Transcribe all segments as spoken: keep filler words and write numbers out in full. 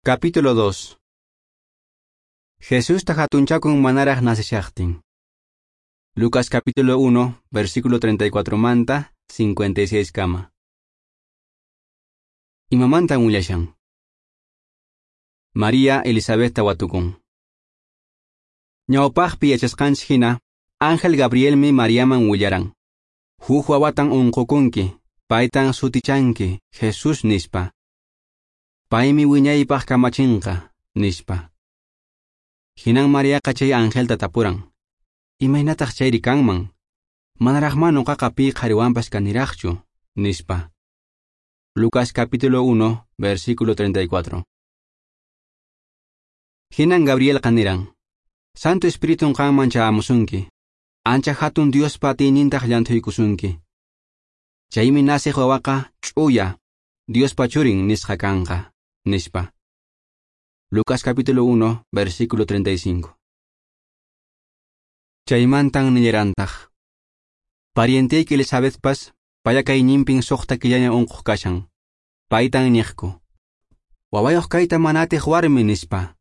Capítulo dos. Jesusta hatunchakun manaraq nasishaqtin. Lucas capítulo uno, versículo treinta y cuatro manta, cincuenta y seis kama. Imamantan willashan. María Elizabethta watukun. Ñawpaqpi yachasqanchik hina, Ángel Gabrielmi Mariaman willaran. Huk wawatan unqukunki, paytan sutichanki, Jesús nispa. Paymi wiñaypaq kamachinqa, nispa. Hinan Mariaqa chay angelta tapuran. Imaynataq chayri kanman? Manaraqma nuqaqa pi qhariwanpas kaniraqchu, nispa. Lucas capítulo uno, versículo treinta y cuatro. Hinan Gabrielqa niran. Santo Espiritun qanman chayamusunki. Ancha hatun Diospa atiynintaq llanthuykusunki. Chaymi nasiq wawaqa ch'uya, Diospa churin nisqa kanqa, nispa. Lucas capítulo uno, versículo treinta y cinco. Chaymantan nillarantaq. Parienteyki Elizabethpas payakayninpin suqta killaña unquq kashan. Paytan niqku. Wawayuq kayta mana atiq warmi nispa.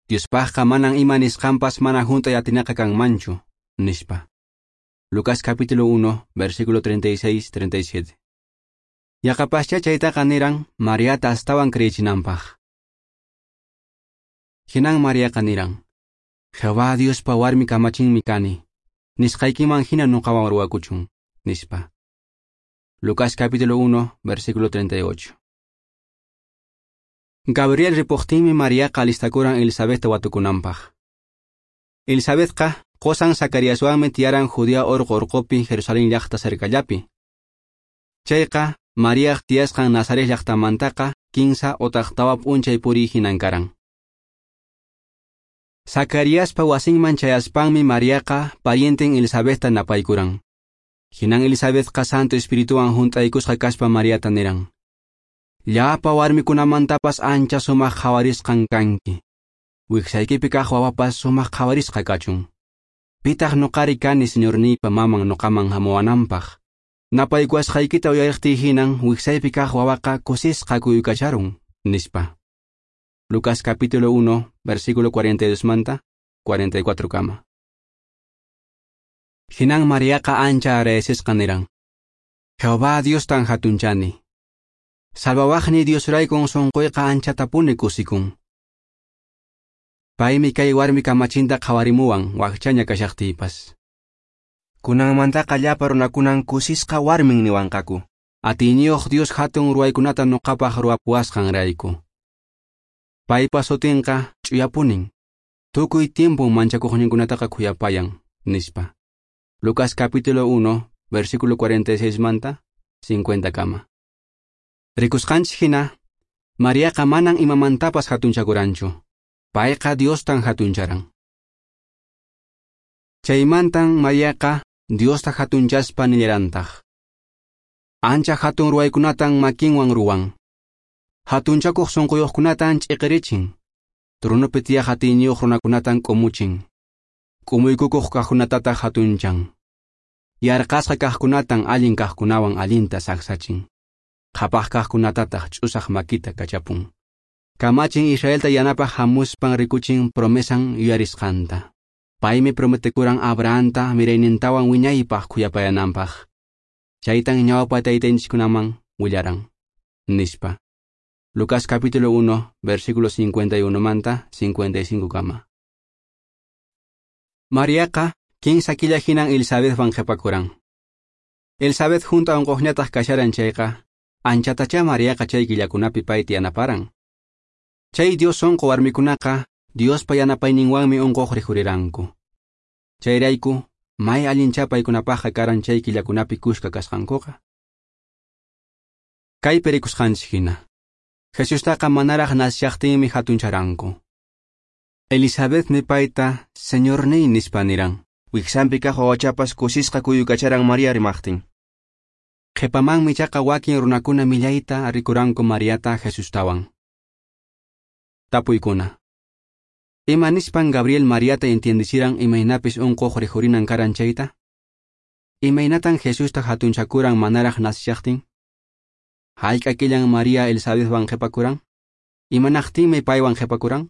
Diospaqqa manan ima nisqanpas mana hunt'ay atinaqa kanmanchu, nispa. Lucas capítulo uno, versículo treinta y seis, treinta y siete. Yaqapascha chaytaqa niran Mariata astawan kriyichinanpaq. Hinan Mariaqa niran, Jehová Diospa warmi kamachinmi kani, nisqaykiman hina nuqawan ruwakuchun, nispa. Lucas capítulo uno, versículo treinta y ocho. Gabriel ripuqtinmi Mariaqa alistakuran Elizabethta watukunanpaq. Elizabethqa qosan Zacariaswanmi tiyaran Judea orqo orqopi Jerusalén llaqta cercallapi. Chayqa Mariaq tiyasqan Nazaret llaqtamantaqa kinsa otaq tawa p'unchay puriy hinan karan. Zacariaspa wasinman chayaspanmi Mariaqa parienten Elizabethta napaykuran. Hinan Elizabethqa Santo Espirituwan hunt'aykusqa kaspa Mariata niran. Llapa warmikunamantapas ancha sumaq qhawarisqan kanki. Wiksaykipi kaq wawapas sumaq qhawarisqa kachun. Pitaq nuqari kani señorniypa maman nuqaman hamuwananpaq. Napaykuwasqaykita uyariqtiy hinan wiksaypi kaq wawaqa kusisqa kuyukacharun, nispa. Lucas capítulo uno, versículo cuarenta y dos manta, cuarenta y cuatro kama. Hinan Mariaqa ancha agradecesqa niran. Jehová Diostan hatunchani. Salvawaqni Diosraykun sunquyqa anchatapuni kusikun. Paymi kay warmi kamachinta qhawarimuwan wakchaña kashaqtiypas. Kunanmantaqa llapa runakunan kusisqa warmin niwanqaku. Atiyniyuq Dios hatun ruwaykunata nuqapaq ruwapuwasqanrayku. Paypa sutinqa ch'uyapunin. Tukuy tiempun manchakuqninkunataqa khuyapayan, nispa. Lucas capítulo uno, versículo cuarenta y seis manta, cincuenta kama. Rikusqanchik hina, Mariaqa manan imamantapas hatunchakuranchu. Payqa Diostan hatuncharan. Chaymantan Mariaqa Diosta hatunchaspa nillarantaq. Ancha hatun ruwaykunatan makinwan ruwan. Hatunchakuq sunquyuqkunatan ch'iqirichin. Tronopi tiyaq atiyniyuq runakunatan k'umuchin. K'umuykukuq kaqkunatataq hatunchan. Yarqasqa kaqkunatan allin kaqkunawan allinta saksachin. Qhapaq kaqkunatataq ch'usaq makita kachapun. Kamachin Israelta yanapaq hamuspan rikuchin promesan yuyarisqanta. Paymi prometekuran Abrahamta miraynintawan wiñaypaq khuyapayananpaq. Chaytan ñawpa taytanchikkunaman willaran, nispa. Lucas capítulo uno, versículo cincuenta y uno manta, cincuenta y cinco kama. Mariaqa kinsa killa hinan Elizabethwan qhipakuran. Elizabeth junto a unquqñataq kasharan chayqa, anchatachá Mariaqa chay killakunapi payta yanaparan. Chay Dios sunqu warmikunaqa Diospa yanapayninwanmi unquq rikhuriranku. Chayrayku, may allinchá paykunapaqqa karan chay killakunapi kuska kasqankuqa. Kaypi rikusqanchik hina, Jesustaqa manaraq nasishaqtinmi hatuncharanku. Elizabethmi payta Señorniy nispa niran. Wiksanpi kaq wawachapas kusisqa kuyukacharan María rimaqtin. Qhipamanmi chaqa wakin runakuna millayta rikuranku Mariata Jesustawan. Tapuykuna. Ima nispan Gabriel Mariata entiendichiran imaynapis unquq rikhurinan karan chayta? Imaynatan Jesusta hatunchakuran manaraq nasishaqtin? Hayk'a killan María Elizabethwan qhipakuran? Imanaqtinmi paywan qhipakuran?